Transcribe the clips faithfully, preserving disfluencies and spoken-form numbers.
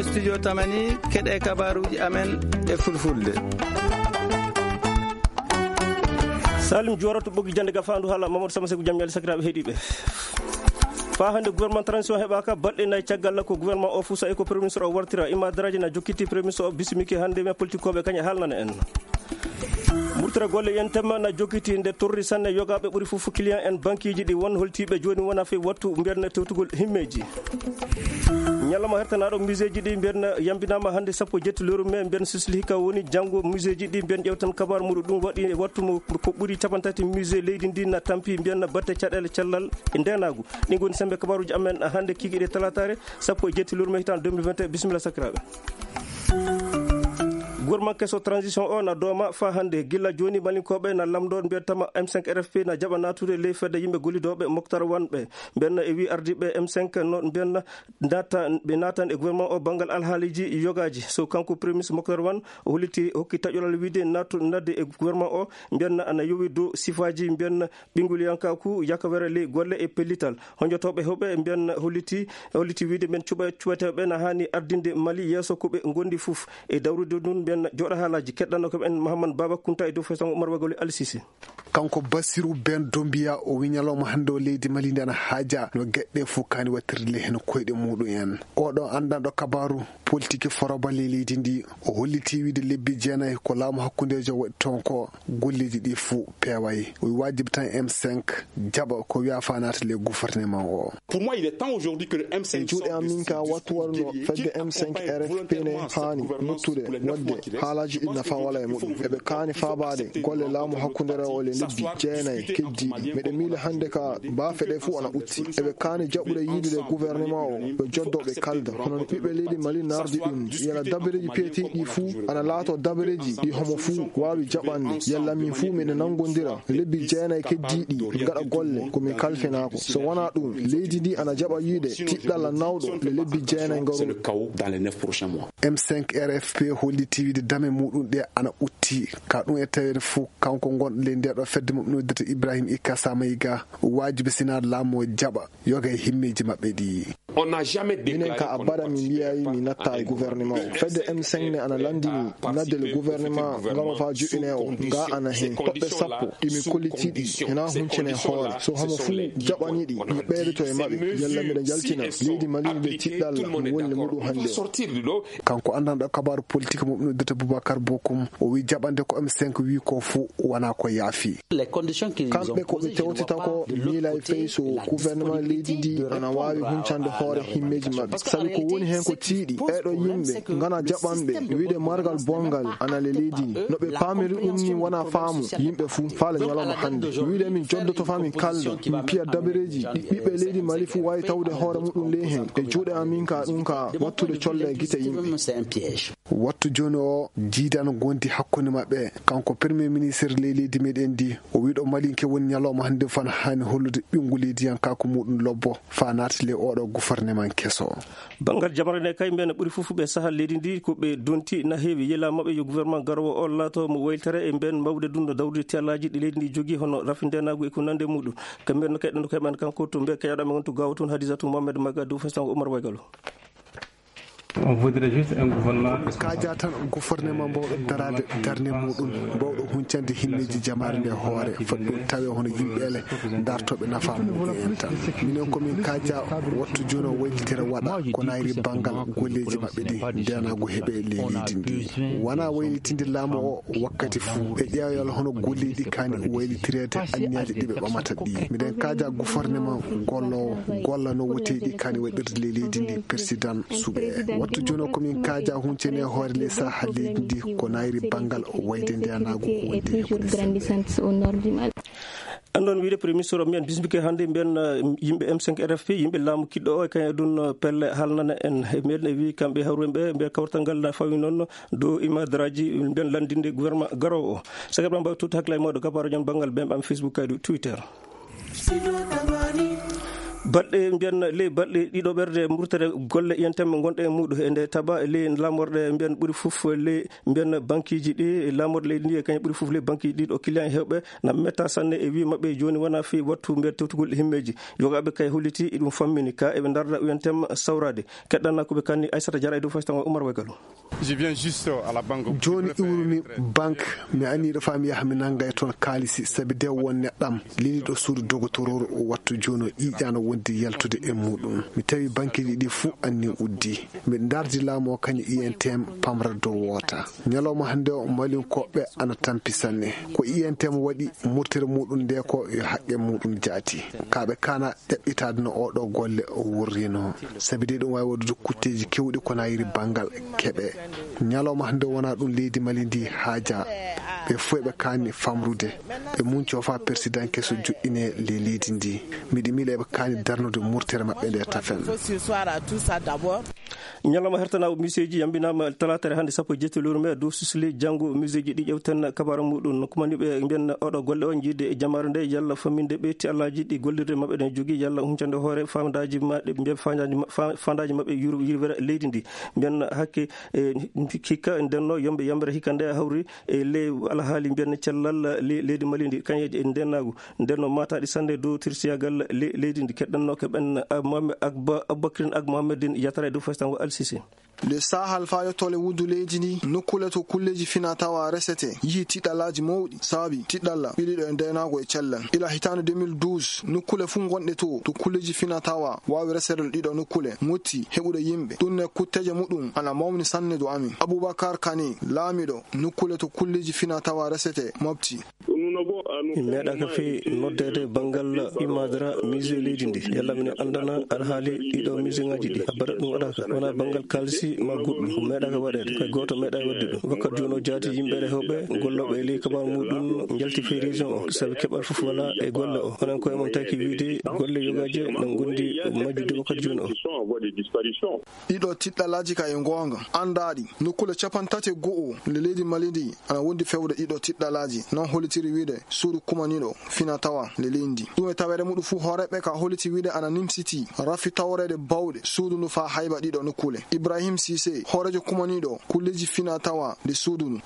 Studio Tamani, keɗe kabaruji amen e fulfulde. Salim Juwara to ɓoggi jannde gafaandu haala Mamadou Sama Seku, jam ñaali sakiraaɓe heɗiiɓe. Faa hannde gouvernement transition heɓaaka, balɗe nayi caggal ko gouvernement o fusa e ko premier ministre o wartira. Ima Daraji na jokkiti premier ministre o bisimike hannde, mais politique koɓe kaña haalnana en. Murtira golle yen temma na jokkiti nde torri sanne yogaaɓe ɓuri fof client en banqueji ɗi won holtiiɓe jooni wona fey wattu mbiyatna tewtugol himmeeji. Ñalawma hertanaaɗo museeji ɗi mbiyatna yambinaama hannde sappo e jetti lewru mai mbiyatna sisli hikka woni janngo museeji ɗi mbiyatna ƴewtan kabaru muɗum ɗum waɗi e wattu mo ko ɓuri capanɗe tati musée leydi ndi na tampi mbiyatna batte caɗeele cellal e ndeenaagu. Ɗin ngoni sembe kabaruji amen hannde kikiɗe talataare sappo e jetti lewru mai hitaande deux mille vingt et un. Bisimilla sakiraaɓe. Gouvernement keso transition o na dooma faa hannde. Gilla jooni malinkoɓe na lamdo mbiyatama M cinq R F P na jaɓa natude ley fedde yimɓe gollidooɓe Moctar Wan ɓe. Mbenna e wi ardiiɓe M cinq no mbenna nata, ɓe natan e gouvernement o banngal alhaaliji yogaaji. So kanko premier ministre Moctar Wan o holliti, hokki taƴoral wiide natu nadde e gouvernement o mbenna ana yowi dow sifaaji mbenna ɓinngulyankaku, yakawere ley golle e pellital. Honjotooɓe heewɓe mbiyan holliti, holliti wiide mbiyan cuɓa-, cuɓateeɓe na haani ardinde Mali yeeso ko ɓe ngondi fof. E dawrude ndun mbiyan jooɗa haalaaji keɗɗanno ko en Mahamman Baba Kunta e dow fesango Umar Wagoli Alisisi. Kanko Basiru Ben Dombiya o wi ñalawma hannde o leydi Mali ndi ana haaja no geɗɗe fof kaani wattirde ley heen koyɗe muɗum en. Oɗo anndanɗo kabaru politique foroba ley leydi ndi o holliti wiide lebbi jeenayi ko laamu hakkundeejo waɗi toon ko golleeji ɗi fuu peeway. O wajibi tan M cinq jaɓa ko wiya faanaata le gouvernement o. Pour moi, il est temps aujourd'hui que le M cinq e juuɗe am min ka wattu waruno fedde M cinq R F P ne haani wuttude waɗde haalaaji ɗi nafa wala e muɗum. Eɓe kaani faabaade golle laamu hakkundeere o le lebbi jeenayi keddiiɗi. Meɗe miila hannde ka baafe ɗe fuu ana utti. Eɓe kaani jaɓude yiidude gouvernement o yo joddo ɓe kalda. Hono no ɓiɓɓe leydi Mali nardi ɗum, yala dabareeji peetiiɗi fuu ana laato dabareeji ɗi homo fuu waawi jaɓande. Yalla min fuu miɗen nanngondira lebbi jeenayi keddiiɗi, min ngaɗa golle ko min kalfinaako. So wonaa ɗum, leydi ndi ana jaɓa yiide tiɗɗalla nawɗo le lebbi jeenayi ngarooɗi. M cinq R F P holliti wiide dame muɗum ɗe ana utti. Ka ɗum e taweede fuu, kanko ngonɗo ley nde ɗo fedde mum noddete Ibrahim Ikasa Mayiga, waajibi sina laamu o jaɓa yoga e himmeeji maɓɓe ɗi. Minen ka abada mi mbiyayi mi natta e gouvernement o. Fedde M cinq ne ana landini nadde le gouvernement ngaro fa juɓɓine o. Nga ana hen toɓɓe sappo ɗi mi kolliti ɗi hena huncine hoore. So homo fuu jaɓani ɗi, mi ɓeydoto e maɓɓe. Yalla miɗa jaltina leydi Mali nde tiɗɗalla mi woni e muɗum hannde o. Kanko anndanɗo kabaru politique mum noddete Boubacar Bokoum, o wi jaɓande ko M cinq wi ko fuu wona ko yaafi. Kamɓe ko ɓe tewtita ko miilay fey so gouvernement leydi ndi ana waawi huncande hoore himmeeji maɓɓe. Sabi ko woni heen ko tiiɗi, ɓeeɗo yimɓe ngana jaɓanɓe wiide margal bonngal ana le leydi ndi. No ɓe paamiri ɗum ni wona faamu yimɓe fuu faale ñalawma hannde. Wiide min joddoto faa min kalda, min piya dabareeji ɗi ɓiɓɓe leydi Mali fuu waawi tawde hoore muɗum ley heen. E juuɗe amin ka ɗum ka wattude colle e gite yimɓe. Wattu jooni o jiidan gondi hakkunde maɓɓe. Kanko premier ministre ley leydi meɗen ndi, o wiɗo malinke woni ñalawma hannde fan haani hollude ɓinngu leydiyankaaku muɗum lobbo faa naati ley oɗo gouvernement keso. Banngal jamre nde kay mbiyen ɓuri fof ɓe saha leydi ndi ko ɓe donti na heewi. Yela maɓɓe yo gouvernement garowo o laato mo waylitere e mbiyen mawde ɗum no dawrude tiyallaaji ɗi leydi ndi jogii hono rafi ndenaagu e ko nande muɗum. Kamɓe no kay ɗum no kay men kanko to mbiyen kay aɗa men to gawo toon Hadisatu Mohamed Maga dow fesango Umar Waygalo. On voudrait juste un gouvernement. Kaaja tan gouvernement mbawɗo daraade darnde muɗum, mbawɗo huncande himmeeji jamaare nde hoore, foti ɗum tawe hono yimɓe ele dartooɓe nafa muɗum en tan. Minen ko min kaaja wattu jooni o waylitira waɗa ko nayri banngal golleeji maɓɓe ɗi, ndenaagu heɓe ley leydi ndi. Wona waylitinde laamu o wakkati fuu, e ƴeewal hono golleeji ɗi kaani waylitireede anniyaaji ɗi ɓe ɓamata ɗi. Miɗen kaaja gouvernement golloowo, golla no woteeji ɗi kaani waɗirde ley leydi ndi, président suɓe. Wattu jooni o ko min kaaja huncene hoore ley saha leydi ndi ko nayri banngal wayde ndenaagu wonde heɓude sembe. Anndon wiide premier ministre o mbiyen bismike hannde mbiyen, eh, yimɓe M cinq R F P, yimɓe laamu kiɗɗo o e kañum e ɗum, eh, pelle haalnana en. E mbiyen e wi kamɓe hawruɓe ɓe mbiya kawtal ngal na fawi noon dow imadraji mbiyen lanndinde gouvernement garowo o. Saka ɓe mbawi tuuti hakkilay mawɗo gabaro jam banngal ɓen ɓam Facebook kaydu Twitter. Baɗɗe mbiyan ley baɗɗe ɗiɗo ɓerde murtere golle iyantemɓe gonɗe e muuɗum e nde taba ley laamorɗe mbiyan ɓuri fof ley mbiyan bankiiji ɗi laamorɗe leydi ndi e kañum ɓuri fof ley bankiiji ɗi ɗo client heewɓe na metta sanne e wii maɓɓe jooni wona fii wattu mbiyan tewtugol e himmeeji. Yogaaɓe kay holliti ɗum fammini ka eɓe ndarda uyantem sawraade. Keɗɗana ko ɓe kanni Aissata Diarra e dow faytango Oumar Waygalo. Jooni iwrumi banque, mi anniiɗo faa mi yaha mi nannga e toon kaalisi sabi de won neɗɗam leliiɗo suudu dogotororu o wattu jooni o ƴiiƴaano wondi yaltude e muuɗum. Mi tawi bankeeji ɗi fuu anni uddi. Miɗo ndardi laamu o kañum I N T M pamra dow woota. Ñalawma hannde o malinkooɓe ana tampi sanne. Ko I N T M waɗi murtere muuɗum nde ko yo haqqe muuɗum jaati. Ka ɓe kaana ɗeɓɓitaade no oo ɗoo golle o wurrino. Sabi de ɗum waawi waɗude kutteeji keewɗi ko nayiri banngal keɓe. Ñalawma hannde wona ɗum leydi Mali ndi haaja. Ɓe fof eɓe kaani famrude. Ɓe muncoo faa persidan keso joɗɗine le leydi ndi. Miɗi miila eɓe kaani darnude murtere maɓɓe nde tafen. Ñalawma hertanaawo miseeji yambinaama talaata hannde sappo e jeetati lewru mee dow sisli janngo miseeji ɗi ƴewten kabaara muuɗum. Kumaniiɓe mbiyan oɗo golle o jiide e jamaare nde yalla famminde ɓe ti allaaji ɗi gollirde maɓɓe ɗen jogii yalla huncande hoore faandaaji maɓɓe mbiyan faandaaji ma- fa- faandaaji maɓɓe yur- yirwere leydi ndi. Mbiyan hakke e hikka ndenno yombe yambere hikka nde hawri e ley alhaali mbiyan cellal le- leydi Mali ndi kañeje e ndennaagu. Ndenno maataaɗi sanne dow tirsiyagal le- leydi ndi keɗɗannooke ɓen Mohamed Agba Aboubacrine Ag Mohamedin yatara e dow festango Al Sisi. Le Sahel faa yottole wuddu leydi ndi nokkule to kulleeji fina tawa resete yihi tiɗɗalaaji mawɗi saabi tiɗɗalla ɓiɗiɗo e ndeenaagu e cellal ila hitaande deux mille douze nokkule fuu ngonɗe to to kulleeji fina tawa waawi resere ɗiɗo nokkule motti heɓude yimɓe ɗum ne kutteeje muɗum ana mawni sanne do amin. Aboubacar Kane laamiɗo nokkule to kulleeji fina tawa resete mofti. Min meeɗaaka fii noddeede banngal imaadara musée leydi ndi yalla minen anndana alhaali ɗiɗo musée ŋaaji ɗi abada ɗum waɗaaka wona banngal kaalisi ma goɗɗum ko meeɗaaka waɗeede koye gooto meeɗa waɗde ɗum wakkati jooni o jaati yimɓe rehooɓe gollooɓe e ley kabaru muɗum njalti fii région o sabi keɓal fof wala e golle o onon koye mon taki wiide golle yogaaje no ngondi majjude wakkati jooni o. Ɗiɗo tiɗɗalaaji ka e ngoonga anndaaɗi nokkule capanɗe tati e go'o le leydi Mali ndi ana wondi fewde ɗiɗo tiɗɗalaaji non hollitiri wiide suudu kumaniiɗo fina tawa le leydi ndi ɗum e taweede muɗum fuu hooreeɓe ka holliti wiide ana nimsiti rafi tawreede bawɗe suudu ndu faa hayba ɗiɗo nokkule. Ibrahim Sise hooreejo kumaniiɗo kulleeji fina tawa nde suudu ndu.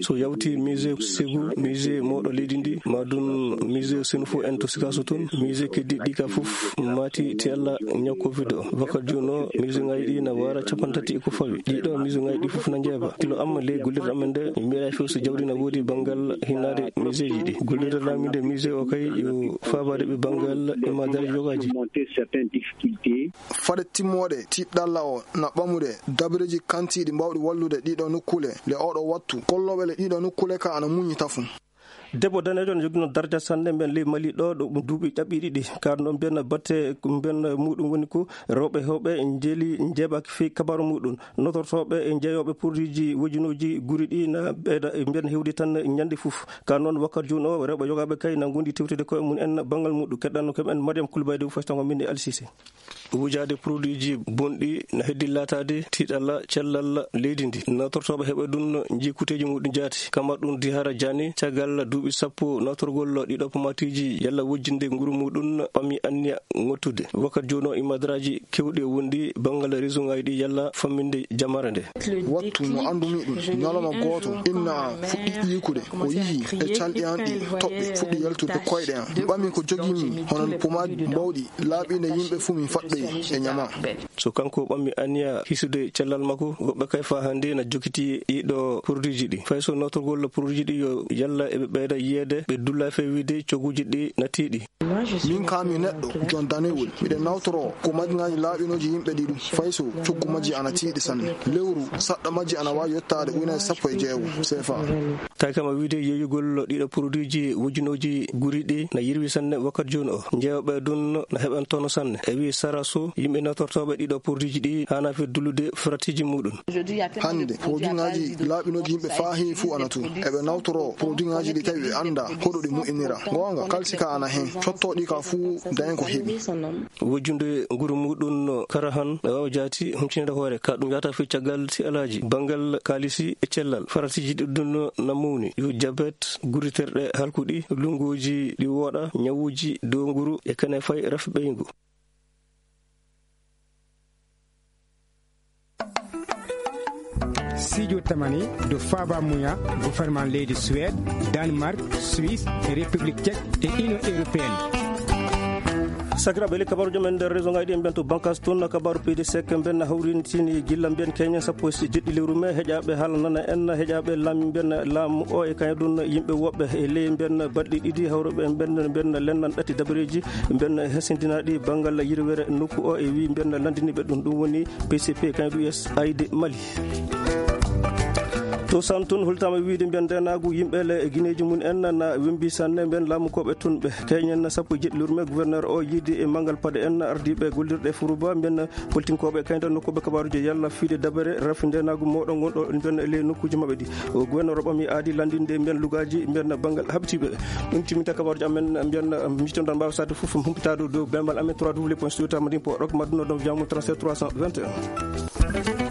So yawti musée Ségou, musée mawɗo leydi ndi, ma ɗum musée Senufo en to Sikaso toon, musée keddiɗi ɗi ka fof maati ti Allah ñaw covid o. Wakkati jooni o, musée ngaji ɗi na wara capanɗe tati e ko fawi. Ɗiɗo musée ngaji ɗi fof na njeeba. Kilo amma ley gollirde amen nde, mi mbiɗa fof so jawdi na woodi banngal hinnaade musée ji ɗi. Gollirde laaminde musée o kay yo faabaade ɓe banngal e madari yogaji. Fade timmoode tiɗɗalla o na ɓamude dabreji kantiiɗi mbawɗi wallude ɗiɗo nokkule le oɗo wattu. Gollooɓe le ɗiɗo nokkule ka ana muñi tafu. Debbo daneejo no jogino darja sanne mbiyen ley Mali ɗo ɗo ɗum duuɓi ƴaɓɓi ɗiɗi. Kaɗo noon mbiyen batte mbiyen muɗum woni ko rewɓe hewɓe njeeli njeeɓaaki fii kabaru muɗum. Notortooɓe e jeeyooɓe produitji wojinooji guri ɗi na ɓeyda mbiyen hewdi tan ñande fof. Ka noon wakkati jooni o rewɓe yogaaɓe kay na ngondi tewtude koye mum en banngal muɗum. Keɗɗanno kam en Mariam Koulibaly de fof tango min e Alsise. Wujaade produitji bonɗi na heddi laataade tiiɗalla cellal leydi ndi. Notortooɓe heɓe ɗum jikuteeji muɗum jaati. Kamar ɗum Dihara Jaani, caggal duuɓi sappo notorgol ɗiɗo pomatiiji yalla wojjinde nguru muɗum ɓami anniya ŋottude. Wakkati jooni o imadraaji kewɗi e wonɗi banngal réseau ngaji ɗi yalla famminde jamare nde. Wattu mo anndumi ɗum, ñalawma gooto, inna am fuɗɗi ƴiikude, o yihi e calɗi am ɗi toɓɓe fuɗɗi yaltude koyɗe am. Mi ɓami ko jogimi, hono pomaji mbawɗi laaɓinde yimɓe fuu mi faɗɗoyi e ñama. So kanko ɓammi anniya hisude cellal makko, woɓɓe kay faa hannde na jokiti ɗiɗo produitji ɗi. Fay so notorgol produitji ɗi yo yalla eɓe ɓeyda yiyeede, ɓe dulla fee wiide cogguuji ɗi na tiiɗi. Min kaa mi neɗɗo jon danewol, miɗen nawtoroo ko maji ngaji laaɓinooji yimɓe ɗi ɗum, fay so coggu majji ana tiiɗi sanne. Lewru saɗɗo majji ana waawi yottaade ujunere sappo e jeego seefa. Tawi kam a wiide yeeyugol ɗiɗo produitji wujunooji guri ɗi na yirwi sanne wakkati jooni o. Njeewɓe ɗum na heɓan tono sanne. E wii sara so yimɓe nawtortooɓe ɗiɗo produitji ɗi haana fii dullude fratiiji muɗum. Hannde, produit ngaji laaɓinooji yimɓe faa heewi fuu ana toon. Eɓe nawtoroo produit ngaji ɗi tawi ɓe anndaa hoɗo ɗi moƴƴinira. Goonga, kalsi ka ana heen. Cottooɗi ka fuu dañen ko heɓi. Wujjude nguru muɗum no kara han, no waawa jaati humpinira hoore. Ka ɗum yaata fii caggal si alaaji, banngal kaalisi e cellal. Faratiiji ɗiɗɗum no Mawni yo jabet, guriterɗe halkuɗi, lunguuji ɗi wooɗa, ñawuuji dow nguru e kene fay rafi ɓeyngu. Sijo tamani do faba muya, gouvernement leydi Suède, Danemark, Suisse, République Tchèque et Union Européenne. Sakiraaɓe, le kabaru jom en nder région ngaji ɗi en ɓen to bankas toon, kabaru P D C ko mben hawrintini gilla mben keñen sappo e jeɗɗi lewru mai. Heƴaaɓe haala nana en, heƴaaɓe laami mben laamu o e kañum ɗum yimɓe woɓɓe e ley mben baɗɗi ɗiɗi hawruɓe mben mben lennan ɗatti dabareeji mben hesindinaaɗi banngal yirwere nokku o e wi mben lanndiniiɓe ɗum, ɗum woni P C P kañum ɗum S I D Mali. To Sam tun hultama wiide mbiyan ndenaagu yimɓe le e gineeji mum en na wembi sanne mbiyan laamu koɓe tun ɓe keñen sappo e jeɗɗi lewru mai. Gouverneur o yiide e mangal paɗe en ardiiɓe gollirɗe furuba mbiyan politinkooɓe kayda nokkuɓe kabaruji yalla fiide dabere rafi ndenaagu mawɗo ngonɗo mbiyan e ley nokkuji maɓɓe ɗi. O gouverneur o ɓami aadi landinde mbiyan lugaji mbiyan bangal habtiiɓe. Ɗum timminta kabaruji amen mbiyan mitondan mbawa sade fof humpitade dow bembal amen trois w point studio tamadin po rok madduno ɗon jamu trente-sept trois cent vingt et un.